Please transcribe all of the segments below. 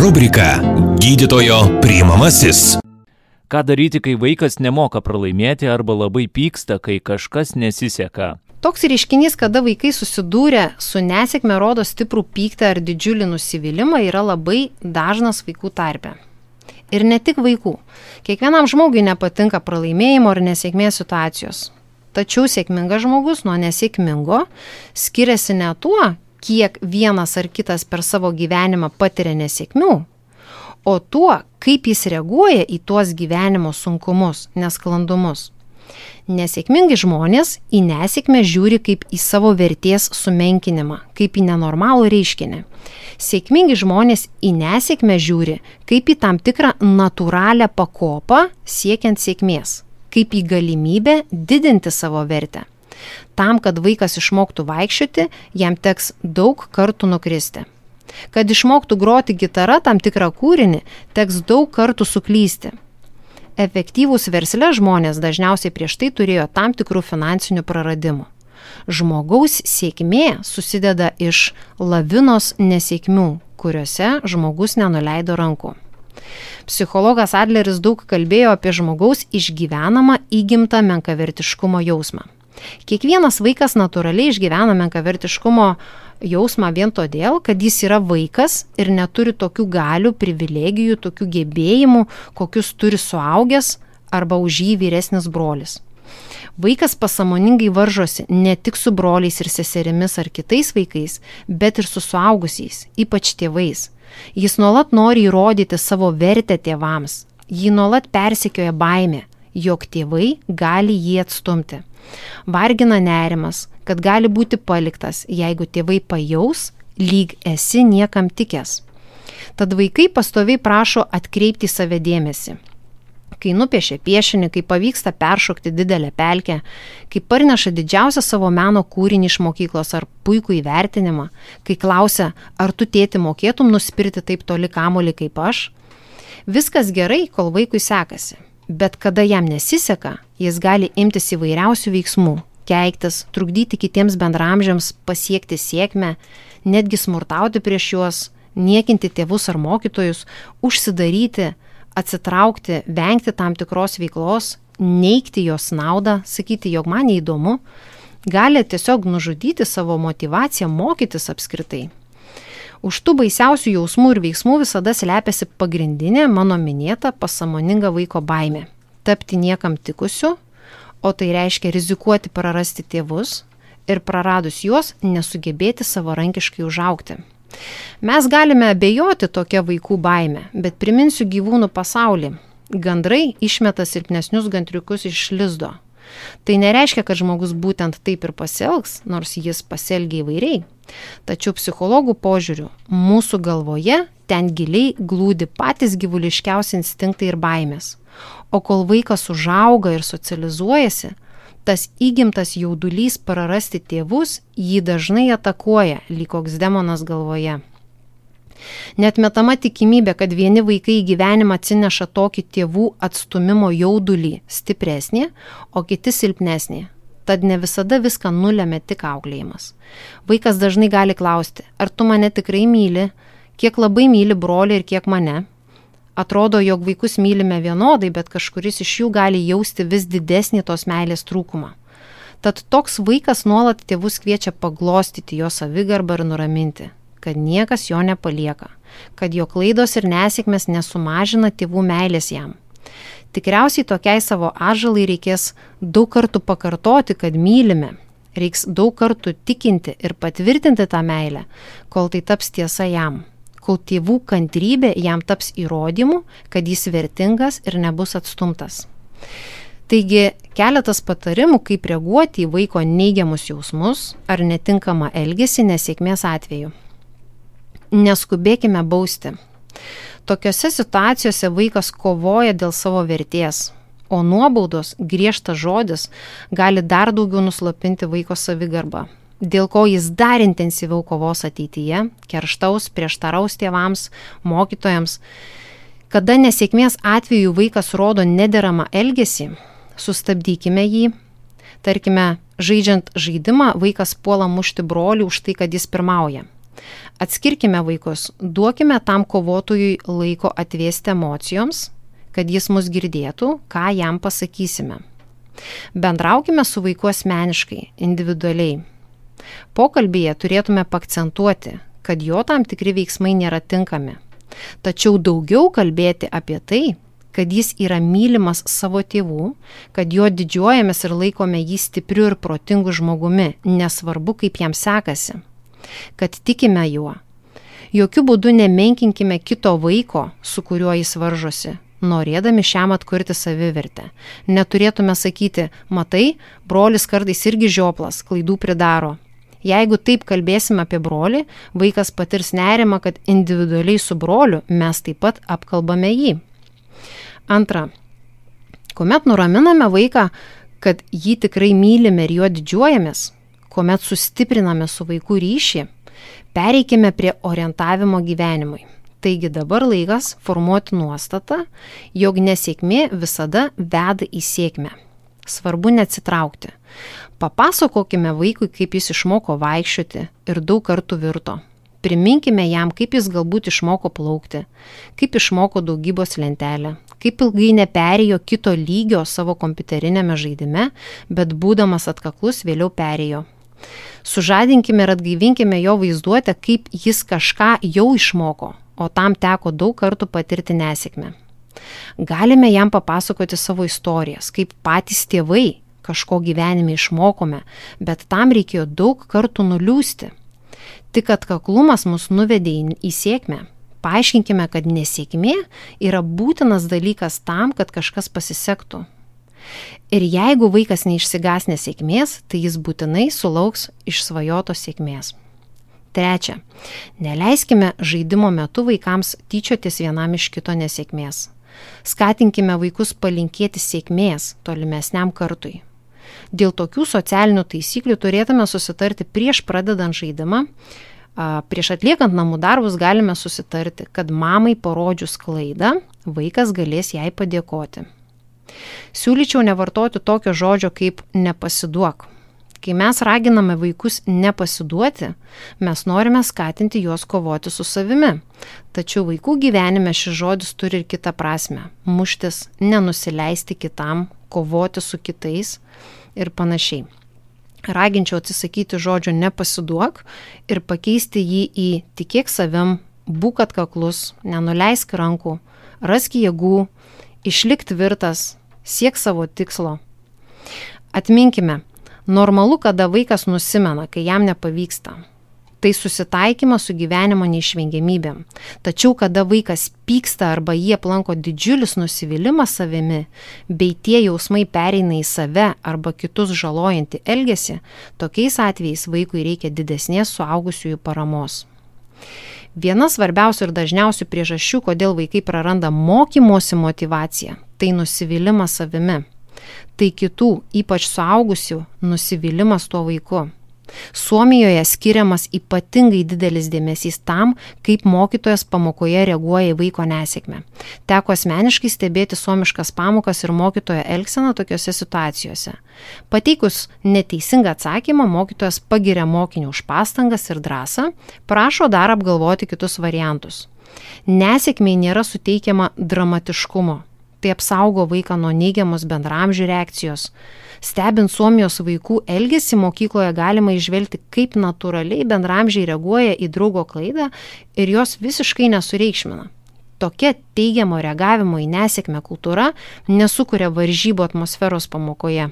Rubrika Gydytojo priimamasis. Ką daryti, kai vaikas nemoka pralaimėti arba labai pyksta, kai kažkas nesiseka? Toks reiškinys, kada vaikai susidūrė su nesėkme, rodo stiprų pyktį ar didžiulį nusivylimą, yra labai dažnas vaikų tarpe. Ir ne tik vaikų. Kiekvienam žmogui nepatinka pralaimėjimo ar nesėkmės situacijos. Tačiau sėkmingas žmogus nuo nesėkmingo skiriasi ne tuo, kiek vienas ar kitas per savo gyvenimą patiria nesėkmių, o tuo, kaip jis reaguoja į tuos gyvenimo sunkumus, nesklandumus. Nesėkmingi žmonės į nesėkmę žiūri kaip į savo vertės sumenkinimą, kaip į nenormalų reiškinį. Sėkmingi žmonės į nesėkmę žiūri kaip į tam tikrą natūralią pakopą siekiant sėkmės, kaip į galimybę didinti savo vertę. Tam, kad vaikas išmoktų vaikščioti, jam teks daug kartų nukristi. Kad išmoktų groti gitarą tam tikrą kūrinį, teks daug kartų suklysti. Efektyvūs versle žmonės dažniausiai prieš tai turėjo tam tikrų finansinių praradimų. Žmogaus sėkmė susideda iš lavinos nesėkmių, kuriuose žmogus nenuleido rankų. Psichologas Adleris daug kalbėjo apie žmogaus išgyvenamą įgimtą menkavertiškumo jausmą. Kiekvienas vaikas natūraliai išgyvena menkavertiškumo jausmą vien todėl, kad jis yra vaikas ir neturi tokių galių, privilegijų, tokių gebėjimų, kokius turi suaugęs arba už jį vyresnis brolis. Vaikas pasąmoningai varžosi ne tik su broliais ir seserimis ar kitais vaikais, bet ir su suaugusiais, ypač tėvais. Jis nuolat nori įrodyti savo vertę tėvams. Jį nuolat persekioja baimė, jog tėvai gali jį atstumti. Vargina nerimas, kad gali būti paliktas, jeigu tėvai pajaus, lyg esi niekam tikęs. Tad vaikai pastoviai prašo atkreipti į save dėmesį. Kai nupiešia piešinį, kai pavyksta peršokti didelę pelkę, kai parneša didžiausią savo meno kūrinį iš mokyklos ar puikų įvertinimą, kai klausia, ar tu tėti mokėtum nuspirti taip toli kamuolį kaip aš, viskas gerai, kol vaikui sekasi. Bet kada jam nesiseka, jis gali imtis įvairiausių veiksmų, keiktis, trukdyti kitiems bendraamžiams pasiekti sėkmę, netgi smurtauti prieš juos, niekinti tėvus ar mokytojus, užsidaryti, atsitraukti, vengti tam tikros veiklos, neigti jos naudą, sakyti, jog man neįdomu, gali tiesiog nužudyti savo motyvaciją mokytis apskritai. Už tų baisiausių jausmų ir veiksmų visada slepiasi pagrindinė mano minėta pasąmoninga vaiko baimė – tapti niekam tikusiu, o tai reiškia rizikuoti prarasti tėvus ir praradus juos nesugebėti savarankiškai užaugti. Mes galime abejoti tokia vaikų baime, bet priminsiu gyvūnų pasaulį. Gandrai išmeta silpnesnius gandriukus iš lizdo. Tai nereiškia, kad žmogus būtent taip ir pasielgs, nors jis pasielgia įvairiai. Tačiau psichologų požiūriu, mūsų galvoje ten giliai glūdi patys gyvuliškiausi instinktai ir baimės. O kol vaikas užauga ir socializuojasi, tas įgimtas jaudulys prarasti tėvus jį dažnai atakuoja, lyg koks demonas galvoje. Neatmetama tikimybė, kad vieni vaikai į gyvenimą atsineša tokį tėvų atstumimo jaudulį stipresnį, o kiti silpnesnį. Tad ne visada viską nulemia tik auklėjimas. Vaikas dažnai gali klausti, ar tu mane tikrai myli, kiek labai myli brolį ir kiek mane. Atrodo, jog vaikus mylime vienodai, bet kažkuris iš jų gali jausti vis didesnį tos meilės trūkumą. Tad toks vaikas nuolat tėvus kviečia paglostyti jo savigarbą ir nuraminti, kad niekas jo nepalieka, kad jo klaidos ir nesėkmės nesumažina tėvų meilės jam. Tikriausiai tokiai savo atžalai reikės daug kartų pakartoti, kad mylime. Reiks daug kartų tikinti ir patvirtinti tą meilę, kol tai taps tiesa jam. Kol tėvų kantrybė jam taps įrodymu, kad jis vertingas ir nebus atstumtas. Taigi, keletas patarimų, kaip reaguoti į vaiko neigiamus jausmus ar netinkamą elgesį nesėkmės atveju. Neskubėkime bausti. Tokiose situacijose vaikas kovoja dėl savo vertės, o nuobaudos, griežtas žodis gali dar daugiau nuslopinti vaiko savigarbą, dėl ko jis dar intensyviau kovos ateityje, kerštaus, prieštaraus tėvams, mokytojams. Kada nesėkmės atveju vaikas rodo nederamą elgesį, sustabdykime jį. Tarkime, žaidžiant žaidimą, vaikas puola mušti brolį už tai, kad jis pirmauja. Atskirkime vaikus, duokime tam kovotojui laiko atvėsti emocijoms, kad jis mus girdėtų, ką jam pasakysime. Bendraukime su vaiku asmeniškai, individualiai. Pokalbyje turėtume pakcentuoti, kad jo tam tikri veiksmai nėra tinkami. Tačiau daugiau kalbėti apie tai, kad jis yra mylimas savo tėvų, kad jo didžiuojamės ir laikome jį stipriu ir protingu žmogumi, nesvarbu kaip jam sekasi, kad tikime juo. Jokių būdų nemenkinkime kito vaiko, su kuriuo jis varžosi, norėdami šiam atkurti savivertę. Neturėtume sakyti, matai, brolis kartais irgi žioplas, klaidų pridaro. Jeigu taip kalbėsime apie brolį, vaikas patirs nerimą, kad individualiai su broliu mes taip pat apkalbame jį. Antra, kuomet nuraminame vaiką, kad jį tikrai mylime ir juo didžiuojamės, kuomet sustipriname su vaiku ryšį, pereikime prie orientavimo gyvenimui. Taigi dabar laikas formuoti nuostatą, jog nesėkmė visada veda į sėkmę. Svarbu neatsitraukti. Papasakokime vaikui, kaip jis išmoko vaikščioti ir daug kartų virto. Priminkime jam, kaip jis galbūt išmoko plaukti, kaip išmoko daugybos lentelę, kaip ilgai neperėjo kito lygio savo kompiuterinėme žaidime, bet būdamas atkaklus vėliau perėjo. Sužadinkime ir atgaivinkime jo vaizduotę, kaip jis kažką jau išmoko, o tam teko daug kartų patirti nesėkmę. Galime jam papasakoti savo istorijas, kaip patys tėvai kažko gyvenime išmokome, bet tam reikėjo daug kartų nuliūsti. Tik atkaklumas mus nuvedė į sėkmę. Paaiškinkime, kad nesėkmė yra būtinas dalykas tam, kad kažkas pasisektų. Ir jeigu vaikas neišsigas nesėkmės, tai jis būtinai sulauks išsvajotos sėkmės. Trečia, neleiskime žaidimo metu vaikams tyčiotis vienam iš kito nesėkmės. Skatinkime vaikus palinkėti sėkmės tolimesniam kartui. Dėl tokių socialinių taisyklių turėtume susitarti prieš pradedant žaidimą. Prieš atliekant namų darbus galime susitarti, kad mamai parodžius klaidą, vaikas galės jai padėkoti. Siūlyčiau nevartoti tokio žodžio kaip nepasiduok. Kai mes raginame vaikus nepasiduoti, mes norime skatinti juos kovoti su savimi. Tačiau vaikų gyvenime šis žodis turi ir kitą prasme – muštis, nenusileisti kitam, kovoti su kitais ir panašiai. Raginčiau atsisakyti žodžio nepasiduok ir pakeisti jį į tikėk savim, būk atkaklus, nenuleisk rankų, rask jėgų, išlik tvirtas, siek savo tikslo. Atminkime, normalu, kada vaikas nusimena, kai jam nepavyksta. Tai susitaikymas su gyvenimo neišvengiamybėm. Tačiau, kada vaikas pyksta arba jį aplanko didžiulis nusivylimas savimi, bei tie jausmai pereina į save arba kitus žalojantį elgesį, tokiais atvejais vaikui reikia didesnės suaugusiųjų paramos. Viena svarbiausių ir dažniausių priežasčių, kodėl vaikai praranda mokymosi motyvaciją, tai nusivylimas savimi. Tai kitų, ypač suaugusių, nusivylimas tuo vaiku. Suomijoje skiriamas ypatingai didelis dėmesys tam, kaip mokytojas pamokoje reaguoja į vaiko nesėkmę. Teko asmeniškai stebėti suomiškas pamokas ir mokytojo elgseną tokiose situacijose. Pateikus neteisingą atsakymą, mokytojas pagiria mokinį už pastangas ir drąsą, prašo dar apgalvoti kitus variantus. Nesėkmei nėra suteikiama dramatiškumo. Tai apsaugo vaiką nuo neigiamos bendraamžių reakcijos. Stebint Suomijos vaikų elgesį mokykloje galima įžvelgti, kaip natūraliai bendraamžiai reaguoja į draugo klaidą ir jos visiškai nesureikšmina. Tokia teigiamo reagavimo į nesėkmę kultūra nesukuria varžybų atmosferos pamokoje,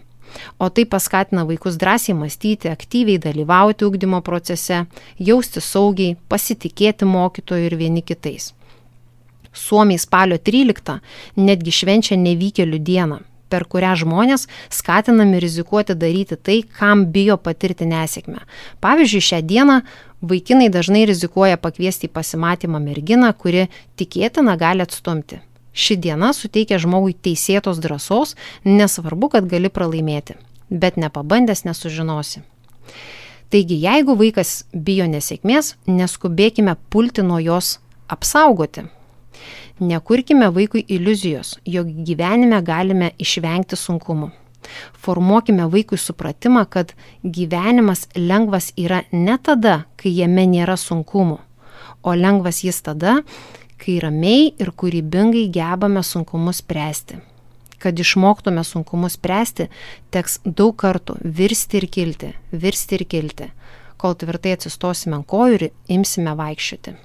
o tai paskatina vaikus drąsiai mąstyti, aktyviai dalyvauti ugdymo procese, jausti saugiai, pasitikėti mokytoju ir vieni kitais. Suomiai spalio 13 netgi švenčia nevykėlių dieną, per kurią žmonės skatinami rizikuoti daryti tai, kam bijo patirti nesėkmę. Pavyzdžiui, šią dieną vaikinai dažnai rizikuoja pakviesti į pasimatymą merginą, kuri tikėtina gali atstumti. Ši diena suteikia žmogui teisėtos drąsos, nesvarbu, kad gali pralaimėti, bet nepabandęs nesužinosi. Taigi, jeigu vaikas bijo nesėkmės, neskubėkime pulti nuo jos apsaugoti. Nekurkime vaikui iliuzijos, jog gyvenime galime išvengti sunkumų. Formuokime vaikui supratimą, kad gyvenimas lengvas yra ne tada, kai jame nėra sunkumų, o lengvas jis tada, kai ramiai ir kūrybingai gebame sunkumus spręsti. Kad išmoktume sunkumus spręsti, teks daug kartų virsti ir kilti, kol tvirtai atsistosime ant kojų ir imsime vaikščioti.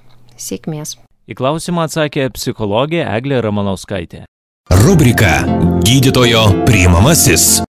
Sėkmės. Į klausimą atsakė psichologė Eglė Ramanauskaitė. Rubrika Gydytojo priimamasis.